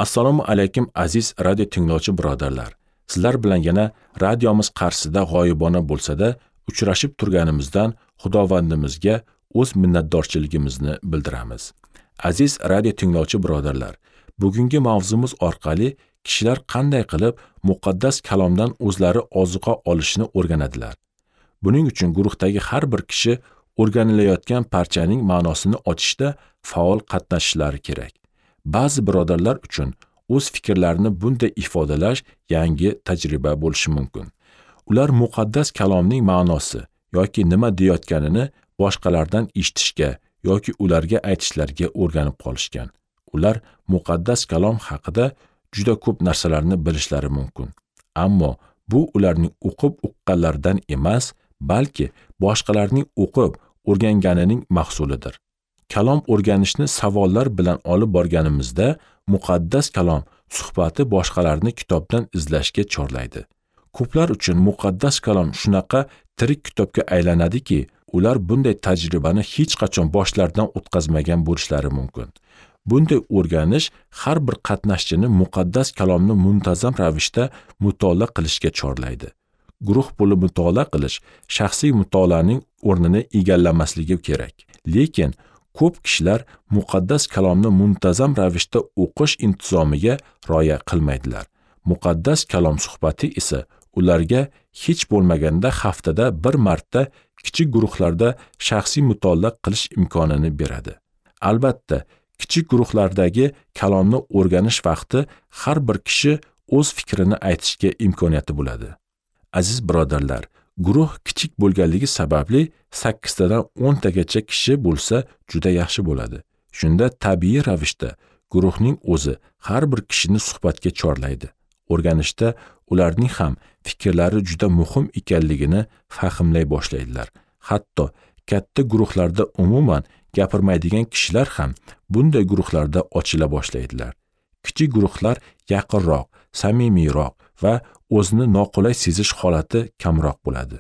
Assalomu alaykum aziz radio tinglovchi birodarlar. Sizlar bilan yana radiomiz qarshisida g'oyibona bo'lsa-da uchrashib turganimizdan Xudovandimizga o'z minnatdorchiligimizni bildiramiz. Aziz radio tinglovchi birodarlar, bugungi mavzumiz orqali kishilar qanday qilib muqaddas kalomdan o'zlari ozuqa olishni o'rganadilar. Buning uchun guruhdagi har bir kishi o'rganilayotgan parchaning ma'nosini ochishda faol qatnashishlari kerak. Ba'zi birodarlar uchun o'z fikrlarini bunday ifodalash yangi tajriba bo'lishi mumkin. Ular muqaddas kalomning ma'nosi yoki nima deyotganini boshqalardan eshitishga yoki ularga aytishlarga o'rganib qolishgan. Ular muqaddas kalom haqida juda ko'p narsalarni bilishlari mumkin. Ammo bu ularning o'qib uqqanlaridan emas, balki boshqalarning o'qib o'rganganining mahsulidir. Kalom o'rganishni savollar bilan olib borganimizda muqaddas kalom suhbati boshqalarni kitobdan izlashga chorlaydi. Ko'plar uchun muqaddas kalom shunaqa tirik kitobga aylanadiki, ular bunday tajribani hech qachon boshlaridan o'tkazmagan bo'lishlari mumkin. Bunday o'rganish har bir qatnashchini muqaddas kalomni muntazam ravishda mutolaa qilishga chorlaydi. Guruh bo'lib mutolaa qilish shaxsiy mutolaaning o'rnini egallamasligi kerak. Lekin ko'p kishilar muqaddas kalomni muntazam ravishda o'qish intizomiga rioya qilmaydilar. Muqaddas kalom suhbati esa ularga hech bo'lmaganda haftada bir marta kichik guruhlarda shaxsiy mutolaa qilish imkonini beradi. Albatta, kichik guruhlardagi kalomni o'rganish vaqti har bir kishi o'z fikrini aytishga imkoniyati bo'ladi. Aziz birodarlar, guruh kichik bo'lganligi sababli 8 tadan 10 tagacha kishi bo'lsa juda yaxshi bo'ladi. Shunda tabiiy ravishda guruhning o'zi har bir kishini suhbatga chorlaydi. O'rganishda ularning ham fikrlari juda muhim ekanligini fahmlay boshlaydilar. Hatto katta guruhlarda umuman gapirmaydigan kishilar ham bunday guruhlarda ochila boshlaydilar. Kichik guruhlar yaqinroq, samimiyroq va o'zini noqulay sezish holati kamroq bo'ladi.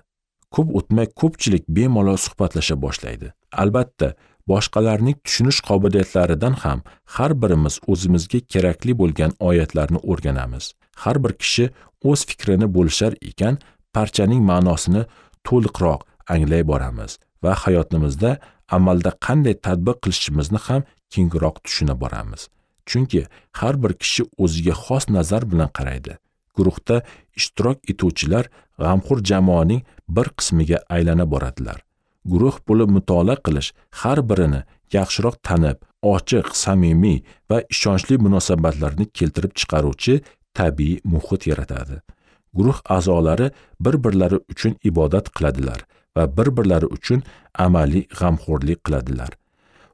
Ko'p o'tmay ko'pchilik bemalol suhbatlasha boshlaydi. Albatta, boshqalarning tushunish qobiliyatlaridan ham har birimiz o'zimizga kerakli bo'lgan oyatlarni o'rganamiz. Har bir kishi o'z fikrini bo'lishar ekan, parchaning ma'nosini to'liqroq anglay boramiz va hayotimizda amalda qanday tatbiq qilishimizni ham kengroq tushuna boramiz. Chunki har bir kishi o'ziga xos nazar bilan qaraydi. Guruhda ishtirok etuvchilar g'amxo'r jamoaning bir qismiga aylana boradilar. Guruh bo'lib mutolaa qilish har birini yaxshiroq tanib, ochiq, samimiy va ishonchli munosabatlarni keltirib chiqaruvchi tabiiy muhit yaratadi. Guruh a'zolari bir-birlari uchun ibodat qiladilar va bir-birlari uchun amaliy g'amxo'rlik qiladilar.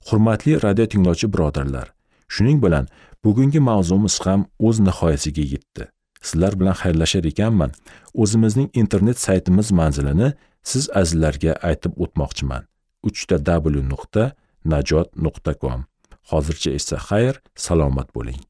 Hurmatli radio tinglovchi birodarlar, shuning bilan bugungi mavzumiz ham o'z nihoyasiga yetdi. Sizlar bilan xayrlashar ekanman, o'zimizning internet saytimiz manzilini siz azizlarga aytib o'tmoqchiman. www.najot.com. Hozircha esa xayr, salomat bo'ling.